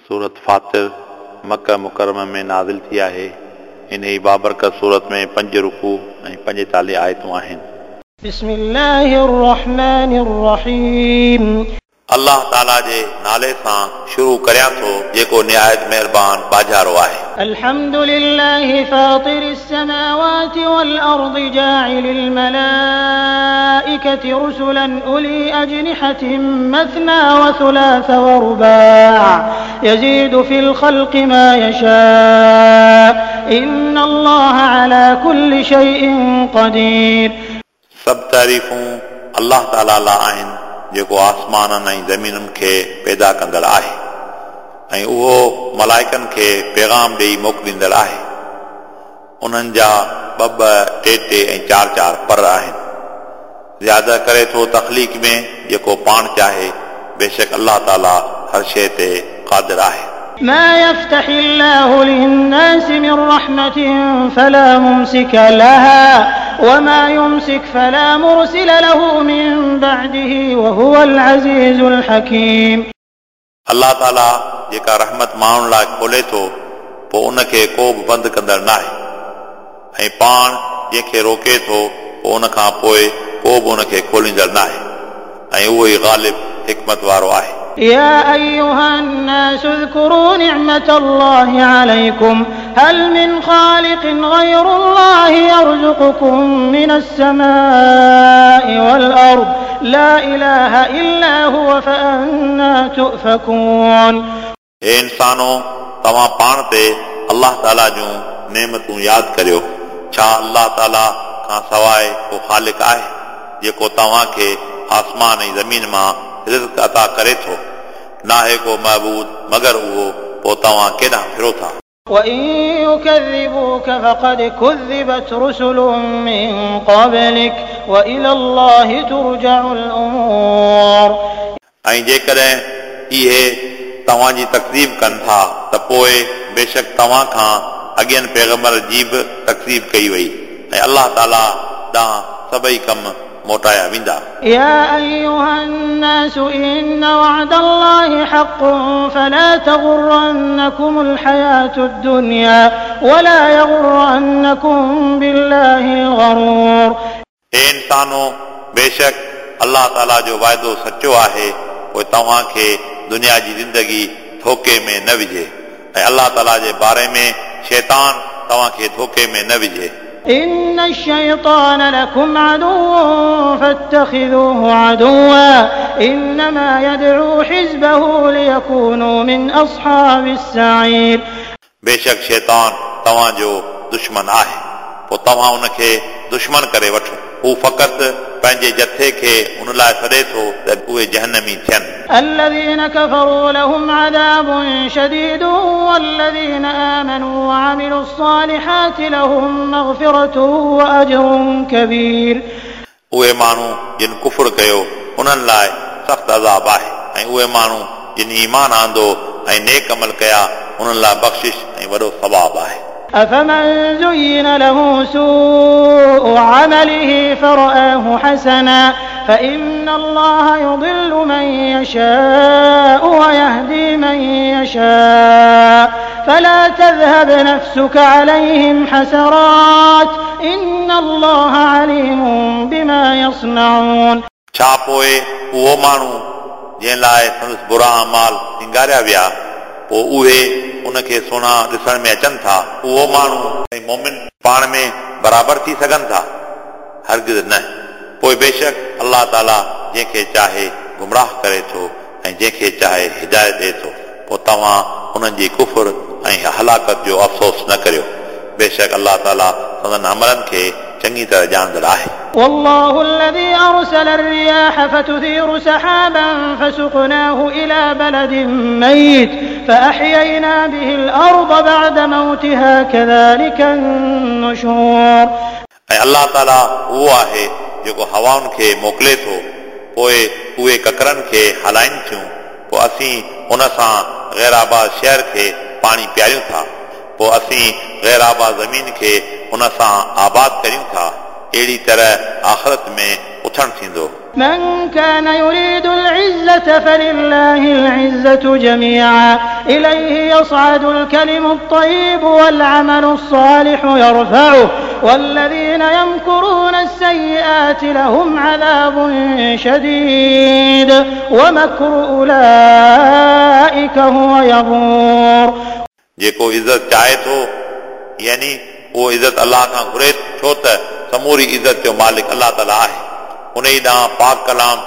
सूरत फ़ातिर मक्का मुकर्रम में नाज़िल थी आहे। इन ई बाबरकत सूरत में 5 रुकू ऐं 45 आयतूं आहिनि। بسم الله الرحمن الرحيم। अल्लाह ताला जे नाले सां शुरू करियां थो जेको निहायत महिरबान बाजारो आहे। الحمد لله فاطر السماوات والأرض جاعل الملائكة رسلا أولي أجنحة مثنى وثلاث ورباع يزيد في الخلق ما يشاء إن الله على كل شيء قدير। सभु तारीफ़ूं अल्लाह ताला लाइ आहिनि जेको आसमाननि ऐं ज़मीनुनि खे पैदा कंदड़ आहे ऐं उहो मलाइकनि खे पैगाम ॾेई मोकिलींदड़ आहे। उन्हनि जा ॿ ॿ, टे टे ऐं चारि चारि पर आहिनि। ज़्यादा करे थो तख़लीक़ में जेको पाण चाहे। बेशक अल्लाह ताला हर शइ ते क़ादिर आहे। ما يفتح الله للناس من رحمة فلا ممسك لها وما يمسك فلا مرسل له من بعده وهو العزيز الحكيم। अल्लाह ताला जेका रहमत माण्हुनि लाइ खोले थो पोइ उनखे को बि बंदि कंदड़ नाहे ऐं पाण जंहिंखे रोके थो पोइ उन खां पोइ को बि उनखे खोलींदड़ नाहे ऐं उहो ई ग़ालिब हिकमत वारो आहे। يا أيها الناس اذكروا نعمة الله عليكم هل من خالق غير الله يرزقكم من السماء والأرض لا إله إلا هو فأنا تؤفكون। हे इंसानो, तव्हां पाण ते अल्लाह ताला जूं नेमतूं यादि करियो। छा अल्लाह ताला खां सवाइ को ख़ालिक आहे जेको तव्हांखे आसमान ऐं ज़मीन मां रिज़्क अता करे थो? नाहे को महबूद मगर उहो, पोइ तव्हां केॾांहुं फिरो था? وإن يكذبوك فقد كذبت رسل من قبلك وإلى الله ترجع الأمور। ऐं जेकॾहिं इहे तव्हांजी तकज़ीब कनि था त पोइ बेशक तव्हां खां अॻियनि पैगम्बर जी बि तकज़ीब कई वई ऐं अल्लाह ताला ॾांहुं सभई कम मोटाया वेंदा। يا أيها الناس إن وعد الله حق فلا تغرنكم الحياة الدنيا ولا يغرنكم بالله الغرور। हे इंसानो, बेशक अल्लाह ताला जो वाइदो सचो आहे, पोइ तव्हांखे दुनिया जी ज़िंदगी धोखे में न विझे ऐं अल्लाह ताला जे बारे में शैतान तव्हांखे धोखे में न विझे। إن الشيطان لكم عدو فاتخذوه عدوا إنما يدعو حزبه ليكونوا من أصحاب السعير। बेशक शैतान तव्हांजो दुश्मन आहे, पोइ तव्हां उनखे दुश्मन करे वठो। हू फ़क़ति पंहिंजे जथे खे उन लाइ सॾे थो त उहे जहन्नमी थियनि। الذين كفروا لهم عذاب شديد والذين آمنوا وعملوا الصالحات لهم مغفرة وأجر كبير। उहे माण्हू जिन कुफुर कयो उन्हनि लाइ सख़्तु अज़ाब आहे ऐं उहे माण्हू जिन ईमान आंदो ऐं नेक अमल कया उन्हनि लाइ बख़्शिश ऐं वॾो सवाब आहे। أفمن زين له سوء عمله فرآه حسنا فإن الله يضل من يشاء ويهدي من يشاء فلا تذهب نفسك عليهم حسرات إن الله عليم بما يصنعون। छा पोइ उहो माण्हू जंहिं लाइ संदसि बुरा अमाल सिंगारिया विया पोइ उहे उनखे सुहिणा ॾिसण में अचनि था, उहो माण्हू ऐं मोमिन पाण में बराबरि थी सघनि था? हरगिज़ न। पोइ बेशक अल्लाह ताला जंहिंखे चाहे गुमराह करे थो ऐं जंहिंखे चाहे हिदायत ॾिए थो। पोइ तव्हां उन्हनि जी कुफुर ऐं हलाकत जो अफ़सोस न करियो। बेशक अल्लाह ताला संदन अमलनि खे चङी तरह ॼाणंदड़ आहे। والله الذي أرسل الرياح فتثير سحابا فسقناه إلى بلد ميت فأحيينا به الأرض بعد موتها كذلك النشور। ऐं अल्लाह ताला उहो आहे जेको हवाउनि खे मोकिले थो, पोइ उहे ककरनि खे हलाइनि थियूं, पोइ असीं उन सां ग़ैराबाद शहर खे पाणी पीआरियूं था, पोइ असीं ग़ैराबाद ज़मीन खे उन सां आबाद करियूं था। अहिड़ी तरह आख़िरत में उथणु थींदो। من كان يريد العزة فلله العزة جميعا إليه يصعد الكلم الطيب والعمل الصالح يرفعه والذين يمكرون السيئات لهم عذاب شديد ومكر أولئك هو يبور। जेको इज़त चाहे थो यानी उहो इज़त अलाह खां घुरे छो त समूरी इज़त जो मालिक अलाह ताला आहे। उन ई ॾांहुं पाक कलाम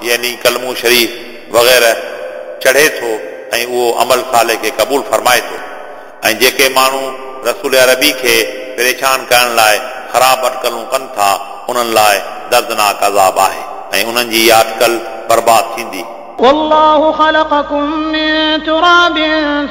यानी कलमू शरीफ वग़ैरह चढ़े थो ऐं उहो अमल साले खे क़बूल फरमाए थो। ऐं जेके माण्हू रसूल अरबी खे परेशान करण लाइ ख़राब अटकलूं कनि था उन्हनि लाइ दर्दनाक अज़ाब आहे ऐं उन्हनि जी इहा अटकल बर्बाद थींदी। والله خلقكم من تراب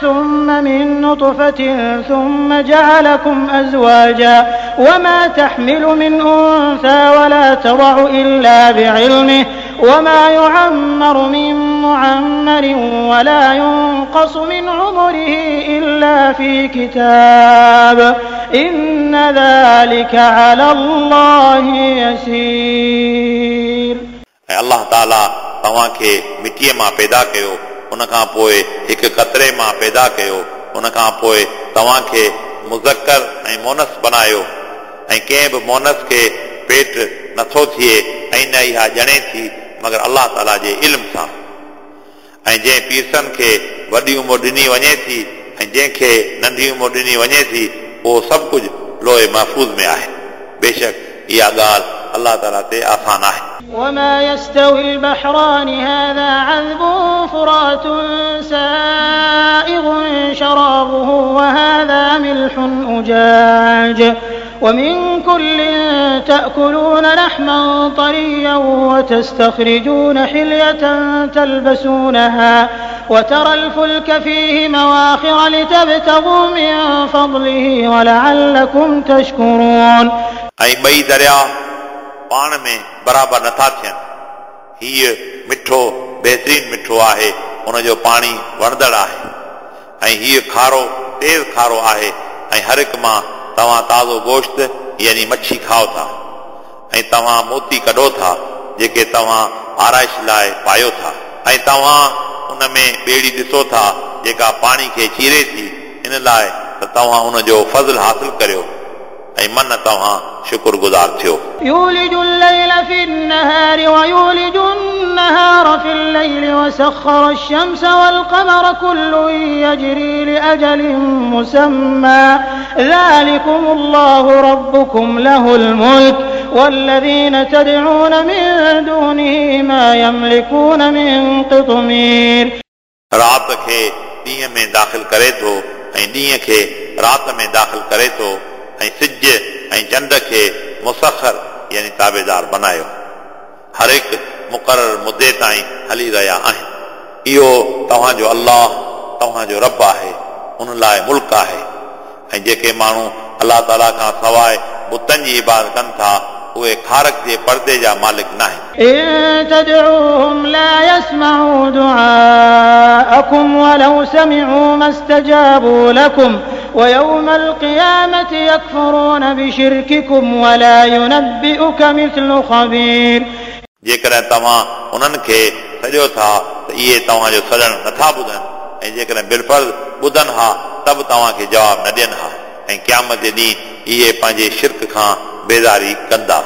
ثم من نطفة ثم جعلكم أزواجا وما تحمل من أنثى ولا تضع إلا بعلمه وما يعمر من معمر ولا ينقص من عمره إلا في كتاب إن ذلك على الله يسير। الله تعالى तव्हांखे मिटीअ मां पैदा कयो, उन खां पोइ हिकु कतरे मां पैदा कयो, उन खां पोइ तव्हांखे मुज़क्कर ऐं मोनस बनायो ऐं कंहिं बि मोनस खे पेट नथो थिए ऐं न इहा ॼणे थी मगर अलाह ताला जे इल्म सां। ऐं जंहिं पीरसन खे वॾी उमिरि ॾिनी वञे थी ऐं जंहिंखे नंढी उमिरि ॾिनी वञे थी उहो सभु कुझु लोहे महफ़ूज़ में आहे। बेशक इहा ॻाल्हि अलाह ताला ते आसान आहे। وما يستوي البحران هذا عذب فرات سائغ شرابه وهذا ملح أجاج ومن كل تأكلون لحما طريا وتستخرجون حلية تلبسونها وترى الفلك فيه مواخر لتبتغوا من فضله ولعلكم تشكرون। ऐं ॿई दरिया पाण में बराबरि नथा थियनि। हीअ मिठो बहितरीन मिठो आहे, उनजो पाणी वणंदड़ आहे ऐं हीअ खारो तेज़ खारो आहे ऐं हर हिकु मां तव्हां ताज़ो गोश्त यानी मच्छी खाओ था ऐं तव्हां मोती कढो था जेके तव्हां आराइश लाइ पायो था ऐं तव्हां उन में ॿेड़ी ॾिसो था जेका पाणी खे चीरे थी, इन लाइ त तव्हां उनजो फ़ज़ल हासिल करियो ऐं मन तव्हां शुक्रगुज़ार थियो। يولج الليل في النهار ويولج النهار في الليل وسخر الشمس والقمر كل يجري لأجل مسمى ذلكم الله ربكم له الملك والذين تدعون من دونه ما يملكون من قطمير। राति खे ॾींहं में दाख़िल करे थो ऐं ॾींहं खे राति में दाख़िल करे थो ऐं सिज ऐं चंड खे मुसखर यानी ताबेदार बनायो। हर हिकु मुक़ररु मुदे ताईं हली रहिया आहिनि। इहो तव्हांजो अलाह तव्हांजो रब आहे, उन लाइ मुल्क आहे। ऐं जेके माण्हू अलाह ताला खां सवाइ बुतनि जी इबादत कनि था उहे खारक जे पर्दे जा मालिक न आहिनि। إن تدعوهم لا يسمعوا دعاءكم ولو سمعوا ما استجابوا لكم ويوم القيامة يكفرون بشرككم ولا ينبئك مثل خبير। जेकॾहिं तव्हां उन्हनि खे सॼो था त इहे तव्हांजो सॾणु नथा ॿुधनि ऐं जेकॾहिं बिलफर्ज़ ॿुधनि हा त बि तव्हांखे जवाबु न ॾियनि हा ऐं क़यामत जे ॾींहुं इहे पंहिंजे शिरक खां बेज़ारी कंदा।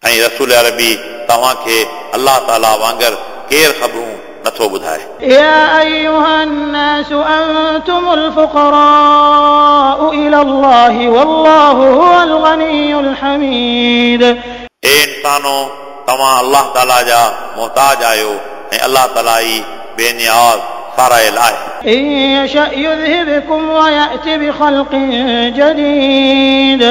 ऐं रसूल अरबी तव्हांखे अलाह ताला वांगुरु केरु ख़बरूं नथो ॿुधाए। يا أيها الناس أنتم الفقراء إلى الله والله هو الغني الحميد। ए इंसानो, तव्हां अलाह ताला जा मोहताज आहियो ऐं अलाह ताला ई बेनियाज़ सारायल आहे। إن يشأ يذهبكم ويأت بخلق جديد।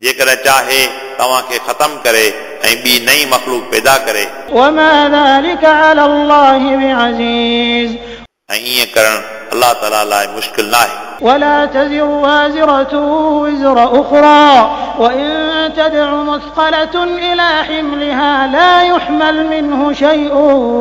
जेकॾहिं चाहे तव्हांखे ख़तम करे ऐं ॿी नई मख़लूक पैदा करे। وما ذلك على الله بعزيز। ऐं ईअं करणु अलाह ताला लाइ मुश्किल न आहे। ولا تزر وازرة وزر أخرى وإن تدع مثقلة إلى حملها لا يحمل منه شيء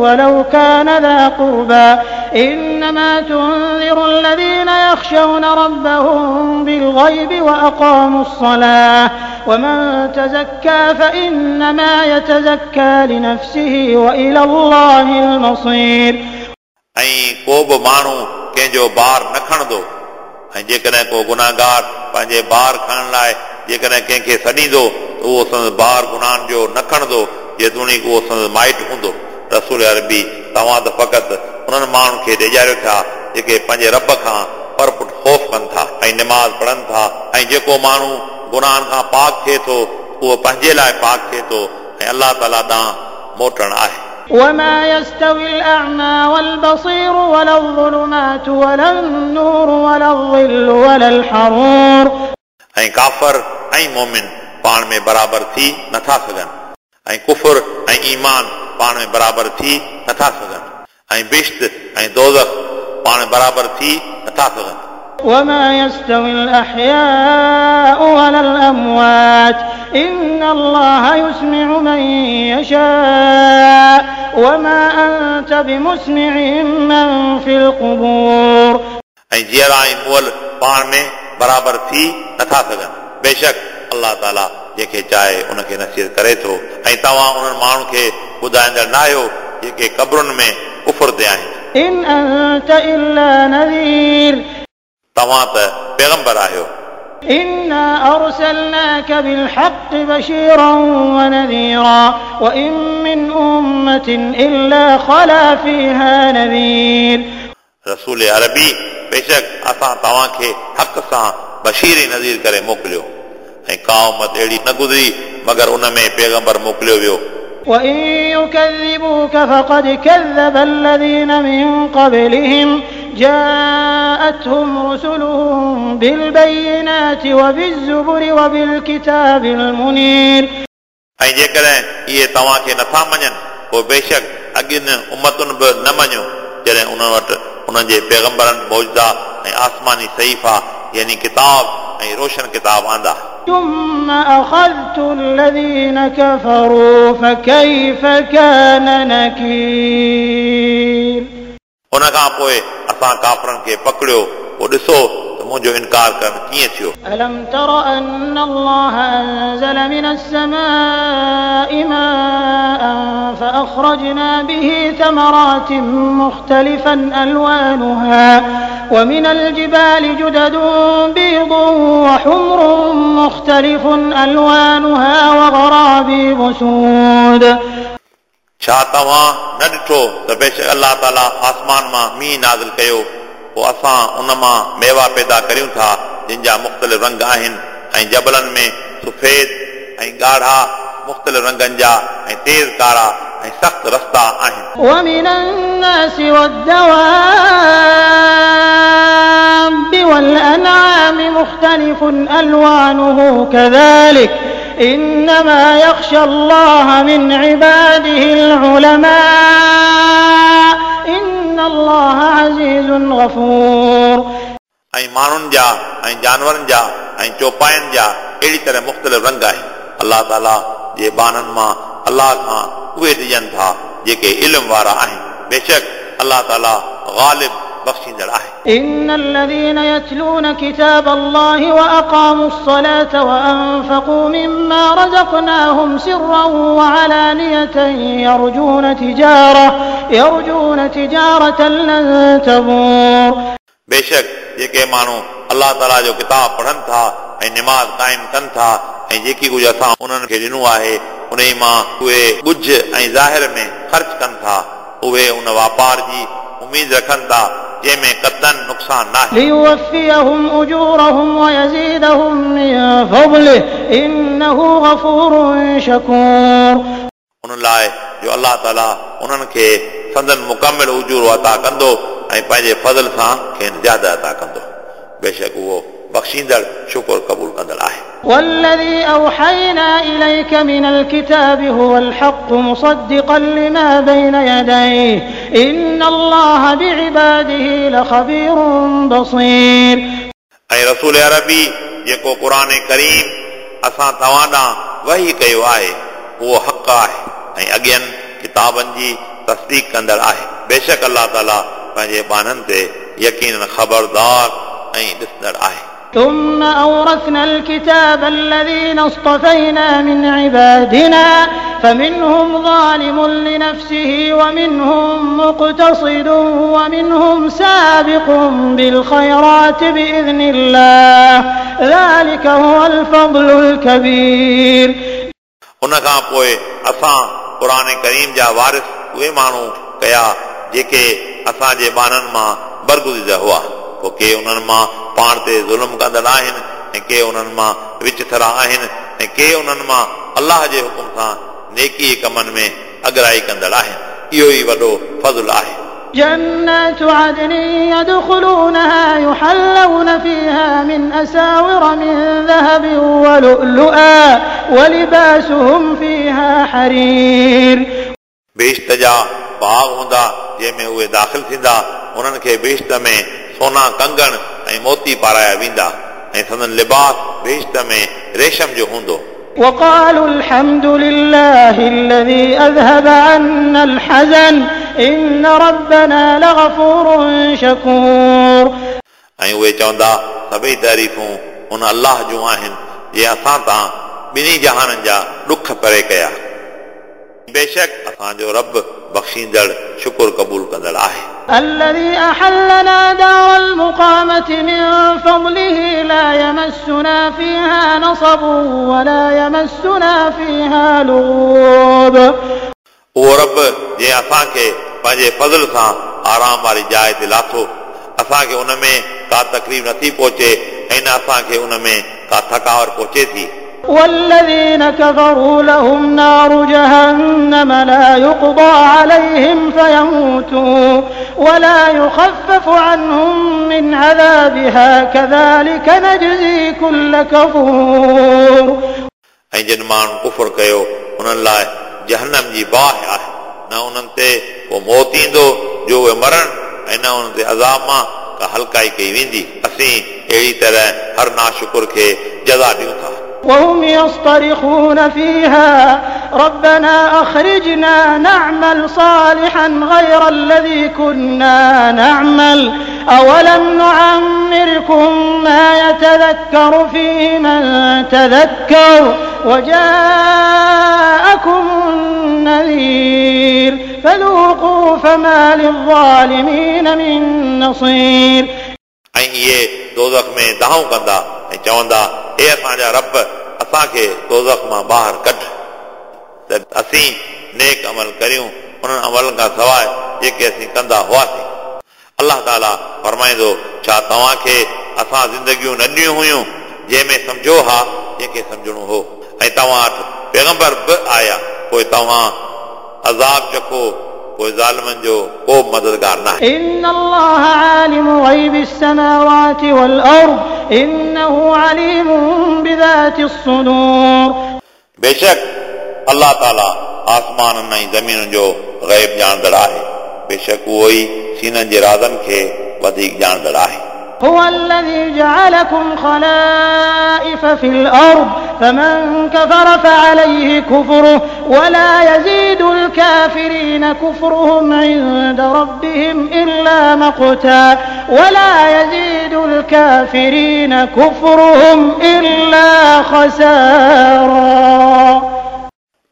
ولو كان ذا قربى إنما تنذر الذين يخشون ربهم بالغيب وأقاموا الصلاة ومن تزكى فإنما يتزكى لنفسه وإلى الله المصير. ऐं को बि माण्हू कंहिंजो भार न खणंदो ऐं जेकॾहिं को गुनाहगार पंहिंजे भार खणण लाइ जेकॾहिं कंहिंखे सॾींदो त उहो संदसि भार गुनाहनि जो न खणंदो जेतोणीकि उहो संदसि माइटु हूंदो। रसूल अरबी तव्हां त फ़क़ति उन्हनि माण्हुनि खे ॾेजारियो था जेके पंहिंजे रब खां परपुट ख़ौफ़ कनि था ऐं निमाज़ पढ़नि था ऐं जेको माण्हू गुनाहनि खां पाक थिए थो उहो पंहिंजे लाइ पाक थिए थो ऐं अलाह ताला ॾांहुं मोटणु आहे। وما يستوي الأعمى والبصير ولا الظلمات ولا النور ولا الظل ولا الحرور. ऐं काफ़र ऐं मोमिन पाण में बराबरि थी नथा सघनि ऐं कुफुर ऐं ईमान पाण में बराबरि थी नथा सघनि ऐं बिश्त ऐं दोज़ख पाण में बराबरि थी नथा सघनि। وما يستوي الأحياء ولا الأموات إن الله يسمع من يشاء وما أنت بمسمع من في القبور. ऐं जीअरा ऐं मुअल पाण में बराबरि थी नथा सघनि। बेशक अलाह ताला जंहिंखे चाहे उनखे नसीहत करे थो ऐं तव्हां उन्हनि माण्हुनि खे ॿुधाईंदड़ न आहियो जेके क़बरुनि में कुफुर ते आहिनि। إن أنت إلا نذير. तव्हां त पैगंबर आहियो। إنا أرسلناك بالحق بشيرا ونذيرا وإن من أمة إلا خلا فيها نذير. रसूल अरबी बेशक असां तव्हांखे हक़ सां बशीर ऐं नज़ीर करे मोकिलियो ऐं का उमत अहिड़ी न गुज़री मगर उन में पैगंबर मोकिलियो वियो। وإن يكذبوك فقد كذب الذين من قبلهم جاءتهم رسلهم بالبينات وبالزبر وبالكتاب المنير. ऐं जेकॾहिं इहे तव्हांखे नथा मञनि पोइ बेशक अॻियुनि उमतुनि बि न मञियो जॾहिं उन्हनि वटि उन्हनि जे पैगंबरनि मौजदा ऐं आसमानी सहीफ़ा यानी किताब ऐं रोशन किताब आंदा। ثم أخذت الذين كفروا فكيف كان نكير. उन खां पोइ असां काफ़रनि खे पकड़ियो पोइ ॾिसो त मुंहिंजो इनकार करणु कीअं थियो। ألم تر أن الله أنزل من السماء ماء فأخرجنا به ثمرات مختلفا ألوانها ومن الجبال جدد بيض وحمر مختلف ألوانها وغرابيب سود. छा तव्हां न ॾिठो त बेशक अलाह ताला आसमान मां मींहुं नाज़िल कयो पोइ असां उन मां मेवा पैदा करियूं था जिन जा मुख़्तलिफ़ रंग आहिनि ऐं जबलनि में सफ़ेद ऐं ॻाढ़ा मुख़्तलिफ़ रंगनि जा ऐं तेज़ कारा ऐं सख़्त रस्ता आहिनि। ومن الناس والدواب والأنعام مختلف ألوانه كذلك إنما يخشى الله من عباده العلماء إن الله عزيز غفور. ऐं माण्हुनि जा ऐं जानवरनि जा ऐं चौपायनि जा अहिड़ी तरह मुख़्तलिफ़ रंग आहिनि। अलाह ताला जे ॿारनि मां अलाह खां उहे ॾिजनि था जेके इल्म वारा आहिनि। बेशक अलाह ताला ग़ालिब बख़्शींदड़ आहे। إن الذين يتلون كتاب الله وأقاموا الصلاة وأنفقوا مما رزقناهم سرا وعلانية يرجون تجارة لن تبور. बेशक जेके माण्हू अलाह ताला जो किताब पढ़नि था ऐं निमाज़ क़ाइमु कनि था ऐं जेकी कुझु असां उन्हनि खे ॾिनो आहे उन मां उहे ॻुझ ऐं ज़ाहिर में ख़र्च कनि था उहे उन वापार जी उमेद रखनि था जंहिंमें कतन नुक़सान न आहे। ليوفيهم أجورهم ويزيدهم من فضله إنه غفور شكور. उन लाइ जो अलाह ताला उन्हनि खे संदन मुकमिल उजूरो अता कंदो ऐं पंहिंजे फज़ल सां खेनि ज़्यादा अता कंदो। बेशक उहो बख़्शींदड़ शुक्र क़बूल कंदड़ आहे। والذي أوحينا إليك من الكتاب هو الحق مصدقا لما بين يديه إن الله بعباده لخبير بصير. ऐं रसूल अरबी जेको क़ुर करीम असां तव्हां ॾांहुं वही कयो आहे उहो हक़ आहे ऐं अॻियनि किताबनि जी तस्दीक कंदड़ आहे। बेशक अलाह ताला पंहिंजे ॿारनि ते यकीन ख़बरदार ऐं ॾिसंदड़ आहे। ثم أورثنا الكتاب الذين اصطفينا من عبادنا فمنهم ظالم لنفسه ومنهم مقتصد ومنهم سابق بالخيرات بإذن الله ذلك هو الفضل الكبير. उन खां पोइ असां क़ुर करीम जा वारिस उहे माण्हू कया जेके असांजे ॿारनि मां बरगुज़ीदा हुआ। पोइ के उन्हनि मां पाण ते ज़ुल्म कंदड़ आहिनि ऐं के उन्हनि मां विचथरा आहिनि ऐं के उन्हनि मां अलाह जे हुकुम सां नेकी कमनि में अगराई कंदड़ आहिनि। इहो ई वॾो फज़ुल आहे। جنات عدن يدخلونها يحلون فيها من أساور من ذهب ولؤلؤا ولباسهم فيها حرير. बेश्त जा बाग़ हूंदा जंहिंमें उहे दाख़िल थींदा, उन्हनि खे बेश्त में सोना कंगण ऐं मोती पाराया वेंदा ऐं संदन लिबास बेश्त में रेशम जो हूंदो। وقالوا الحمد لله الذي أذهب عنا الحزن إن ربنا لغفور شكور. ऐं उहे चवंदा सभई तारीफ़ूं उन अलाह जूं आहिनि जंहिं असां तां ॿिन्ही जहाननि जा ॾुख परे कया। बेशक असांजो रब बख़्शींदड़ शुक्र क़बूल कंदड़ आहे। الذي أحلنا دار المقامة من فضله لا يمسنا فيها نصب ولا يمسنا فيها لغوب. उहो रब जंहिं असांखे पंहिंजे फज़ल सां आराम वारी जाइ ते लाथो, असांखे उन में का तकलीफ़ नथी पहुचे ऐं न असांखे उन में का थकावट पहुचे थी। والذين كفروا لهم نار جهنم لا يقضى عليهم فيموتوا ولا يخفف عنهم من عذابها كذلك نجزي كل كفور. ऐं जिन माण्हुनि कुफुर कयो उन्हनि लाइ जहन्नम जी बाहि आहे, न उन्हनि ते को मौत ईंदो जो उहे मरण ऐं न उन्हनि ते अज़ाब मां का हल्काई कई वेंदी। असीं अहिड़ी तरह हर नाशुकुर खे जज़ा ॾियूं था। وهم يصطرخون فيها ربنا أخرجنا نعمل صالحا غير الذي كنا نعمل أولم نعمركم ما يتذكر فيه من تذكر وجاءكم النذير فذوقوا فما للظالمين من نصير. ऐं इहे दोज़ख में दाहूं कंदा ऐं चवंदा, हे असांजा रब, असांखे दोज़ख मां ॿाहिरि कढ त असीं नेक अमल करियूं उन्हनि अमलनि खां सवाइ जेके असीं कंदा हुआसीं। अलाह ताला फरमाईंदो, छा तव्हांखे असां ज़िंदगियूं न ॾिनियूं हुयूं जंहिंमें सम्झो हा जंहिंखे सम्झणो हो, ऐं तव्हां वटि पैगंबर बि आया, पोइ तव्हां अज़ाब चखो, पोइ ज़ालिमनि जो को बि मददगार न आहे। إن الله عالم غيب السماوات والأرض إنه عليم بذات الصدور. बेशक अलाह ताला आसमाननि ऐं ज़मीनुनि जो ग़ैब ॼाणंदड़ आहे, बेशक उहो ई सीननि जे राज़नि खे वधीक ॼाणंदड़ आहे। هو الذي جعلكم خلائف في الأرض فمن كفر فعليه كفره ولا يزيد الكافرين كفرهم عند ربهم إلا مقتا ولا يزيد الكافرين كفرهم إلا خسارا.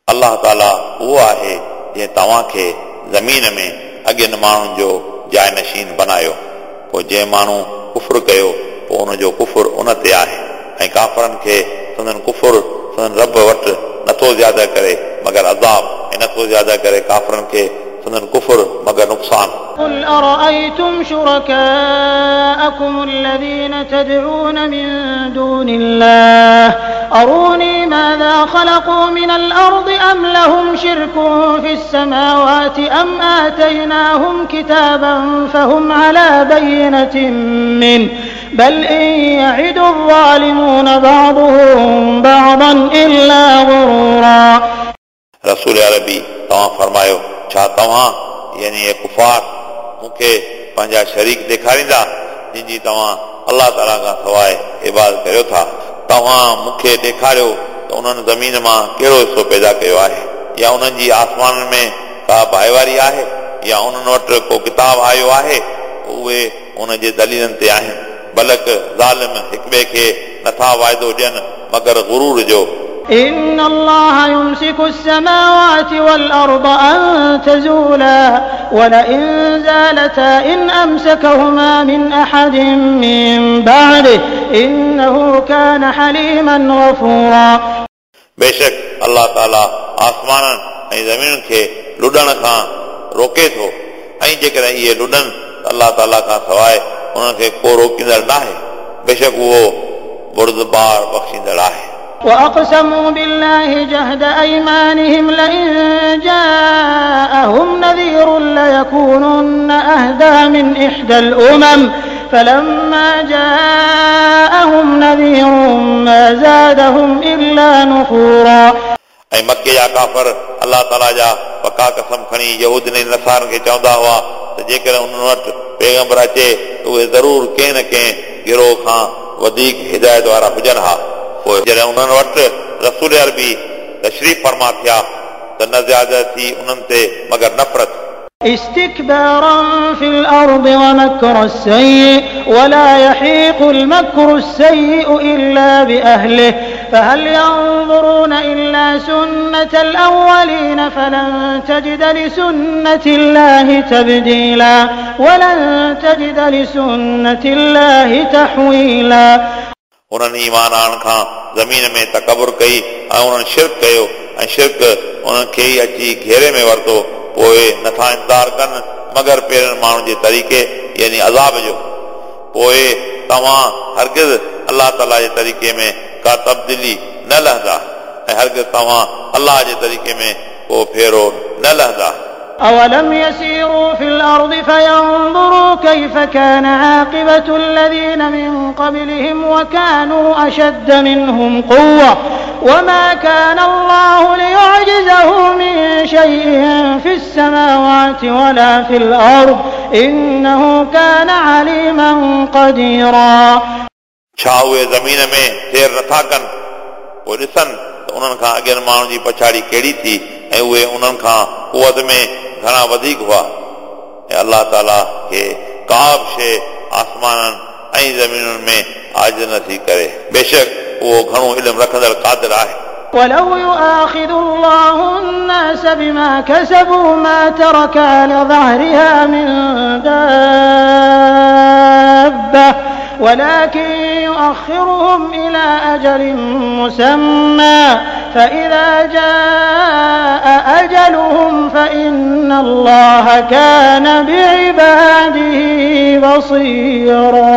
अलाह ताला उहो आहे जंहिं तव्हांखे ज़मीन में अॻियनि माण्हुनि जो जाइ नशीन बनायो, पोइ जंहिं माण्हू कुफुर कयो पोइ उनजो कुफुर उन ते आहे, ऐं काफ़रनि खे संदन कुफुर संदन रब वटि नथो ज़्यादा करे मगर अज़ाब, ऐं नथो ज़्यादा करे काफ़रनि खे संदन कुफुर मगर नुक़सान। قل أرأيتم شركاءكم الذين تدعون من دون الله أروني ماذا خلقوا من الأرض أم لهم شرك في السماوات أم آتيناهم كتابا فهم على بينة منه بل إن يعد الظالمون بعضهم بعضا إلا غرورا. रसूल अरबी तव्हां फरमायो, छा तव्हां यानी ये कुफार मूंखे पंहिंजा शरीक ॾेखारींदा जिन जी तव्हां अलाह ताला खां सवाइ इबादत करियो था? तव्हां मूंखे ॾेखारियो त उन्हनि ज़मीन मां कहिड़ो हिसो पैदा कयो आहे, या उन्हनि जी आसमाननि में का भाईवारी आहे, या उन्हनि वटि को किताब आयो आहे, उहे उन जे दलीलनि ते आहिनि। बल्कि ज़ालिम हिक ॿिए खे नथा वाइदो ॾियनि मगर गुरूर जो। إن الله يمسك السماوات والأرض أن تزولا ولئن زالتا إن أمسكهما من أحد من بعده إنه كان حليما غفورا। बेशक अल्लाह ताला आसमाननि ऐं ज़मीनुनि खे लुॾण खां रोके थो ऐं जेकॾहिं इहे लुॾनि त अल्लाह ताला खां सवाइ उन्हनि खे को रोकींदड़ न आहे। बेशक उहो बुर्दबार बख़्शींदड़ आहे। وأقسموا بالله جهد أيمانهم لئن جاءهم نذير ليكونن أهدى من إحدى الأمم فلما جاءهم نذير ما زادهم إلا نفورا। ऐं मक्के जा काफ़र अल्लाह ताला जा पका कसम खणी यहूदियुनि ऐं नसारनि खे चवंदा हुआ त जेकॾहिं उन्हनि वटि पैगंबर अचे त उहे ज़रूर कंहिं न कंहिं गिरोह खां वधीक हिदायत वारा हुजनि हा। पोइ जॾहिं उन्हनि वटि रसूल अरबी तशरीफ़ फरमा थिया त न ज़्यादा थी उन्हनि ते मगर नफ़रत। استكبارا في الأرض ومكر السيء ولا يحيق المكر السيء إلا بأهله فهل ينظرون إلا سنة الأولين فلن تجد لسنة الله تبديلا ولن تجد لسنة الله تحويلا। उन्हनि ईमान आणण खां ज़मीन में तकबुर कई ऐं उन्हनि शिरक कयो ऐं शिरक उन्हनि खे ई अची घेरे में वरितो। पोइ नथा इंतज़ार कनि मगर पहिरियनि माण्हुनि जे तरीक़े यानी अज़ाब जो। पोइ तव्हां हरगिज़ अल्लाह ताला जे तरीक़े में का तब्दीली न लहंदा ऐं हरगिज़ तव्हां अल्लाह जे तरीक़े में को फेरो न लहंदा। أولم يسيروا في الأرض فينظروا كيف كان عاقبة الذين من قبلهم وكانوا أشد منهم قوة وما كان الله ليعجزه من شيء في السماوات ولا في الأرض إنه كان عليما قديرا। छा उहे ज़मीन में सैर नथा कनि पोइ ॾिसनि त उन्हनि खां अॻियनि माण्हुनि जी पछाड़ी कहिड़ी थी ऐं उहे उन्हनि खां कुवत में घणा वधीक हुआ। ऐं अल्लाह ताला खे का बि शइ आसमाननि ऐं ज़मीनुनि में आजिज़ नथी करे। बेशक उहो घणो इल्मु रखंदड़ क़ादिर आहे। ولو يؤاخذ الله الناس بما كسبوا ما ترك على ظهرها من دابة ولكن يؤخرهم إلى أجل مسمى فإذا جاء أجلهم فإن الله كان بعباده بصيرا।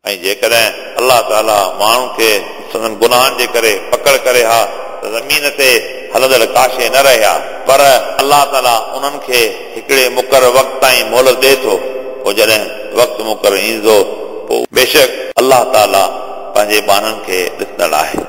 ऐं जेकॾहिं अल्लाह ताला माण्हुनि खे संदन गुनाहनि जे करे पकड़ करे हा त ज़मीन ते हलंदड़ का शइ न रहे हा, पर अल्लाह ताला उन्हनि खे हिकिड़े मुक़ररु वक़्त ताईं मोहलत ॾिए थो। पोइ जॾहिं वक़्तु मुक़ररु ईंदो पोइ बेशक अल्लाह ताला पंहिंजे ॿारनि खे ॾिसंदड़ आहे।